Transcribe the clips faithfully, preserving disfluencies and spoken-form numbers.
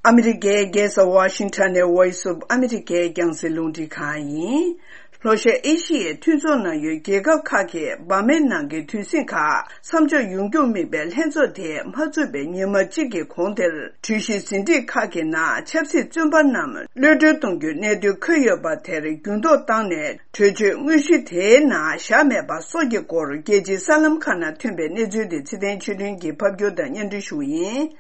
ཨ་མི་རི་ཀའི་རྒྱལ་ས་ཝ་ཤིང་ཊོན་ནས་Voice of America་རྒྱང་སྲིང་རླུང་འཕྲིན་ཁང་ཡིན། ལྷོ་ཤར་ཨེ་ཤི་ཡའི་མཐུན་ཚོགས་ནང་ཡོད་རྒྱལ་ཁབ་ཁག་གིས་འབར་མའི་ནང་གི་དུས་ཟིང་ཁག་མཚམས་འཇོག་ཡོང་རྒྱུར་དམིགས་པའི་ལྷན་ཚོགས་དེ་མ་ཚུགས་པའི་ཉི་མ་གཅིག་གི་གོང་དེར། གྲོས་གཞི་ཟིན་བྲིས་ཁག་གི་ནང་ཆབ་སྲིད་བཙོན་པ་རྣམས་གློད་གྲོལ་གཏོང་རྒྱུའི་གནད་དོན་འཁོད་ཡོད་པ་དེར་འགྱུར་ལྡོག་བཏང་ནས། གྲོས་ཆོད་དངོས་གཞི་དེའི་ནང་བཞག་མེད་པ་སོགས་ཀྱི་སྐོར། རྒྱལ་སྤྱིའི་གསར་ལམ་ཁག་ནང་ཐོན་པའི་གནས་ཚུལ་དེ་ཚེ་བརྟན་ཆོས་སྒྲོན་གྱིས་ཕབ་སྒྱུར་དང་སྙན་སྒྲོན་ཞུ་གི་ཡིན།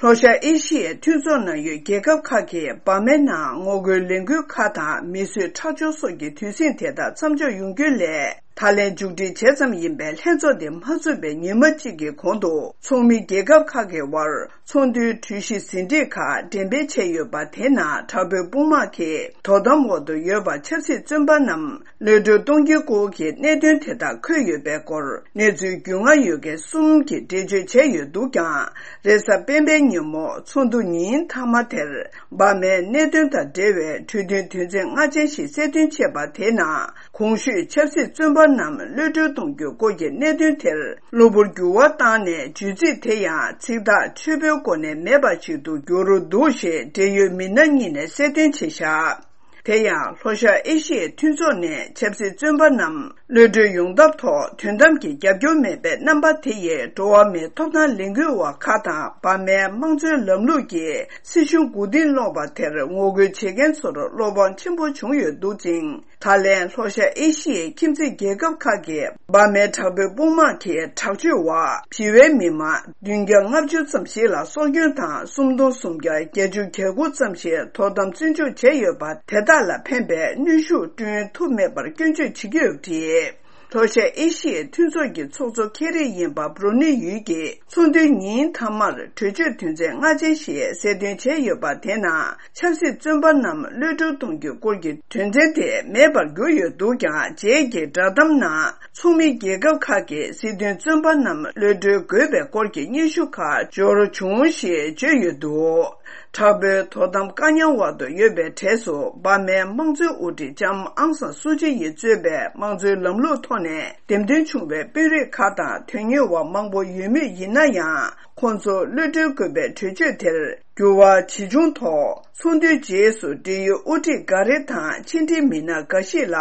ལྷོ་ཤར་ཨེ་ཤི་ཡའི་མཐུན་ཚོགས་ནང་ཡོད་རྒྱལ་ཁབ་ཁག་གིས་འབར་མའི་ནང་ངོ་རྒོལ་ལས་འགུལ་ཁག་དང་མིས་བཟོས་ཁྲག་སྦྱོར་སོགས་ཀྱི་དུས་ཟིང་དེ་དག་མཚམས་འཇོག་ཡོང་རྒྱུའི་སླད། ད་ལན་མཇུག་སྒྲིལ་བྱས་ཙམ་ཡིན་པའི་ལྷན་ཚོགས་དེ་མ་ཚུགས་པའི་ཉི་མ་གཅིག་གི་གོང་དུ། ཚོགས་མི་རྒྱལ་ཁབ་ཁག་གི་དབར་ཚོགས་འདུའི་གྲོས་གཞི་ཟིན་བྲིས་ཁག་འགྲེམས་སྤེལ་བྱས་ཡོད་པ་དེ་ནང་དྲག་པོའི་དཔུང་དམག་གིས་དོ་དམ་འོག་ཏུ་ཡོད་པ་ཆབ་སྲིད་བཙོན་པ་རྣམས་གློད་གྲོལ་གཏོང་རྒྱུའི་སྐོར་གྱི་གནད་དོན་དེ་དག་འཁོད་ཡོད་པའི་སྐོར། གནས་ཚུལ་རྒྱུས་མངའ་ཡོད་མཁན་གསུམ་གྱིས་འགྲེལ་བརྗོད་བྱས་ཡོད་འདུག་ཀྱང་། རེས་གཟའ་སྤེན་པའི་ཉིན་མོ་ཚོགས་འདུ་ཉིན་མཐའ་མ་དེར། འབར་མའི་གནད་དོན་དང་འབྲེལ་བའི་གྲོས་མཐུན་དོན་ཚན་ལྔ་ཅན་ཞིག་གསལ་སྟོན་བྱས་པ་དེའི་ནང་། གོང་ཞུས་ཆབ་སྲིད་བཙོན་པ་རྣམས་གློད་གྲོལ་གཏོང་རྒྱུའི་སྐོར་གྱི་གནད་དོན་དེར་གློ་བུར་འགྱུར་བ་བཏང་ནས། བརྗོད་ཚིག་དེ་ཡང་ཚིག་ཐག་ཆོད་པོའི་སྒོ་ནས་མེད་པ་ཞིག་ཏུ་གྱུར་འདུག་ཞེས་འབྲེལ་ཡོད་མི་སྣ་གཉིས་ནས་གསལ་སྟོན་བྱས་བཞག་དེ་ཡང་ལྷོ་ཤར་ཨེ་ཤི་ཡའི་མཐུན་ཚོགས་ནས་ཆབ་སྲིད་བཙོན་པ་རྣམས་གློད་གྲོལ་ཡོང་ཐབས་ཐོག་དོན་དམ་གྱི་རྒྱབ་སྐྱོར་མེད་པའི་རྣམ་པ་དེ་ཡིས། འགྲོ་བ་མིའི་ཐོབ་ཐང་ལས་འགུལ་བ་ཁག་དང་། འབར་མའི་དམངས་གཙོའི་ལམ་ལུགས་ཀྱི་སྲིད་གཞུང་མགོ་རྟིང་སློག་པ་དེར་ངོ་རྒོལ་བྱེད་མཁན་ཚོར་བློ་ཕམ་ཆེན་པོ་བྱུང་ཡོད་འདུག་ཅིང་། ད་ལན་ལྷོ་ཤར་ཨེ་ཤི་ཡའི་ཁྱིམ་མཚེས་རྒྱལ་ཁབ་ཁག་གིས་འབར་མའི་དྲག་པོའི་དཔུང་དམག་གིས་དྲག་སྤྱོད་འོག་ཕྱི་པའི་མི་མང་བདུན་བརྒྱ་ལྔ་བཅུ་ཙམ་ཞིག་ལ་སྲོག་སྐྱོན་དང་། སུམ་སྟོང་སུམ་བརྒྱ་བརྒྱད་ཅུ་གྱ་དགུ་ཙམ་ཞིག་དོ་དམ་བཙོན་འཇུག་བྱས་ཡོད་པ་དེ་དག་ལ་ཕན་པའི་གནོན་ཤུགས་བསྐྲུན་ཐུབ་མེད་པར་སྐྱོན་བརྗོད་བྱེད་ཀྱི་ཡོད་པ་རེད། ལྷོ་ཤར་ཨེ་ཤི་ཡའི་མཐུན་ཚོགས་ཀྱི་ཚོགས་གཙོ་ཁེ་རི་ཡིན་པ་བྷྲུ་ནེ་ཡུལ་གྱི་ཚོགས་འདུའི་ཉིན་མཐའ་མར་གྲོས་ཆོད་དོན་ཚན་ལྔ་ཅན་ཞིག་གསལ་སྟོན་བྱས་ཡོད་པ་དེ་ནང་ཆབ་སྲིད་བཙོན་པ་རྣམས་གློད་གྲོལ་གཏོང་རྒྱུའི་སྐོར་གྱི་དོན་ཚན་དེ་མེད་པར་གྱུར་ཡོད་འདུག་ཀྱང་། རྗེས་ཀྱི་བསྒྲགས་གཏམ་ནང་ཚོགས་མི་རྒྱལ་ཁབ་ཁག་གིས་སྲིད་དོན་བཙོན་པ་རྣམས་གློད་གྲོལ་དགོས་པའི་སྐོར་གྱི་སྙན་ཞུ་ཁག་འབྱོར་བྱུང་ཞེས་བརྗོད་ཡོད་འདུག་དྲག་པོའི་དོ་དམ་བཀག་ཉར་འོག་ཏུ་ཡོད་པའི་གྲས་སུ་འབར་མའི་དམངས་གཙོའི་དབུ་ཁྲིད་ལྕམ་ཨང་སང་སུ་ཅི་ཡིས་གཙོས་པའི་དམངས་གཙོའི་ལམ་ལུགས་ཐོག་ནས་འདེམས་ཐོན་བྱུང་བའི་དཔོན་རིགས་ཁག་དང་དོན་གཉེར་བ་མང་པོ་ཡོད་མུས་ཡིན་ན་ཡང་། ཁོང་ཚོ་གློད་གྲོལ་དགོས་པའི་གྲོས་ཆོད་དེར་འགྱུར་བ་ཇི་བྱུང་ཐོག་ཚོགས་འདུའི་རྗེས་སུ་འབྲེལ་ཡོད་དབུ་ཁྲིད་འགའ་རེ་དང་ཕྱི་འབྲེལ་མི་སྣ་འགའ་ཞིག་ལ་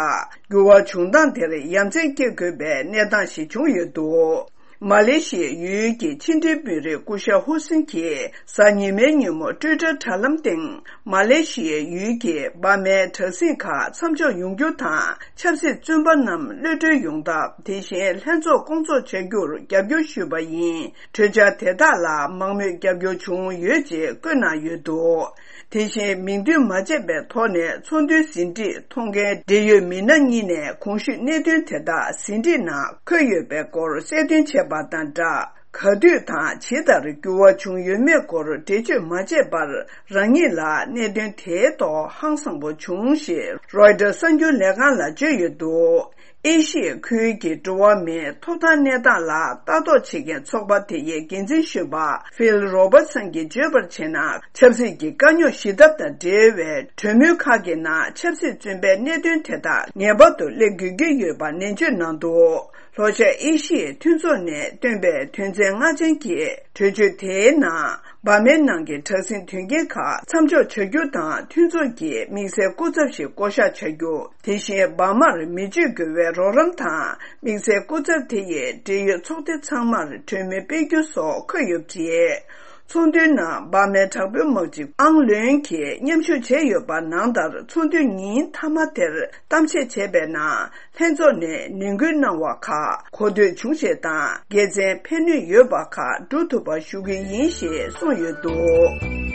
འགྱུར་བ་བྱུང་སྟངས་དེར་ཡ་མཚན་སྐྱེ་དགོས་པའི་གནས་སྟངས་ཤིག་བྱུང་ཡོད་འདུག་མ་ལེ་ཤི་ཡའི་ཡུལ་གྱི་ཕྱི་འབྲེལ་དཔོན་རིགས་སྐུ་ཞབས་ཧུ་སིན་གྱིས་གཟའ་ཉི་མའི་ཉིན་མོ་ཊུའི་ཊར་དྲ་ལམ་སྟེང་། མ་ལེ་ཤི་ཡའི་ཡུལ་གྱི་འབར་མའི་དྲག་ཟིང་ཁག་མཚམས་འཇོག་ཡོང་རྒྱུ་དང་། ཆབ་སྲིད་བཙོན་པ་རྣམས་གློད་གྲོལ་ཡོང་ཐབས། དེ་བཞིན་ལྷན་ཚོགས་སྐོང་ཚོགས་བྱ་རྒྱུར་རྒྱབ་སྐྱོར་ཞུས་པ་ཡིན། གྲོས་འཆར་དེ་དག་ལ་མང་མོས་རྒྱབ་སྐྱོར་བྱུང་ཡོད་ཅེས་བཀོད་གནང་ཡོད་འདུག་དེ་བཞིན་མིང་འདོན་མ་བྱས་པའི་ཐོག་ནས་ཚོགས་འདུའི་ཟིན་བྲིས་མཐོང་མཁན་འབྲེལ་ཡོད་མི་སྣ་གཉིས་ནས་གོང་ཞུས་གནད་དོན་དེ་དག་ཟིན་བྲིས་ནང་འཁོད་ཡོད་པའི་སྐོར་གསལ་སྟོན་བྱས་པ་དང་སྦྲགས། ག་དུས་དང་ཇི་ལྟར་འགྱུར་བ་བྱུང་ཡོད་མེད་སྐོར་འགྲེལ་བརྗོད་མ་བྱས་པར། རང་ཉིད་ལ་གནད་དོན་དེའི་ཐོག་ཧང་སངས་པོ་བྱུང་ཞེས་རོའི་ཊར་གསར་འགྱུར་ལས་ཁང་ལ་བརྗོད་ཡོད་འདུག་ཨེ་ཤི་ཡའི་ཁུལ་གྱི་འགྲོ་བ་མིའི་ཐོབ་ཐང་གནས་སྟངས་ལ་ལྟ་རྟོག་བྱེད་མཁན་ཚོགས་པ་དེ་ཡི་འགན་འཛིན་གཞོན་པ་ཕིལ་རོ་བར་སན་གྱིས་བརྗོད་པར་བྱས་ན། ཆབ་སྲིད་ཀྱི་དཀའ་རྙོག་ཞི་ཐབས་དང་འབྲེལ་བའི་གྲོས་མོལ་ཁག་གི་ནང་ཆབ་སྲིད་བཙོན་པའི་གནད་དོན་དེ་དག་ངེས་པར་དུ་སླེབས་དགོས་ཀྱི་ཡོད་པ་ནན་བརྗོད་གནང་འདུག་ལྷོ་ཤར་ཨེ་ཤི་ཡའི་མཐུན་ཚོགས་ནས་བཏོན་པའི་དོན་ཚན་ལྔ་ཅན་གྱི་གྲོས་ཆོད་དེའི་ནང་། འབར་མའི་ནང་གི་དྲག་ཟིང་དོན་རྐྱེན་ཁག་མཚམས་འཇོག་བྱ་རྒྱུ་དང་། མཐུན་ཚོགས་ཀྱིས་དམིགས་བསལ་སྐུ་ཚབ་ཞིག་བསྐོ་གཞག་བྱ་རྒྱུ། དེ་བཞིན་འབར་མར་མི་སྤྱོད་དགོས་པའི་རོགས་རམ་དང་། དམིགས་བསལ་སྐུ་ཚབ་དེ་ཡིས་འབྲེལ་ཡོད་ཚོགས་སྡེ་ཚང་མར་གྲོས་མོལ་སྤེལ་རྒྱུ་སོགས་འཁོད་ཡོད་པ་རེད། ཚོགས་འདུའི་ནང་འབར་མའི་དྲག་པོའི་དམག་སྤྱི་ཨང་ལོན་གྱིས་མཉམ་ཞུགས་བྱས་ཡོད་པ་ནང་ལྟར། ཚོགས་འདུའི་ཉིན་མཐའ་མ་དེར་གཏམ་བཤད་བྱས་པའི་ནང་། ལྷན་ཚོགས་ནས་ནན་སྐུལ་གནང་བ་ཁག་གོ་ཐོས་བྱུང་ཞེས་དང་། དགེ་མཚན་ཕན་ནུས་ཡོད་པ་ཁག་བསྒྲུབ་ཐུབ་པ་ཞུ་གི་ཡིན་ཞེས་གསུངས་ཡོད་འདུག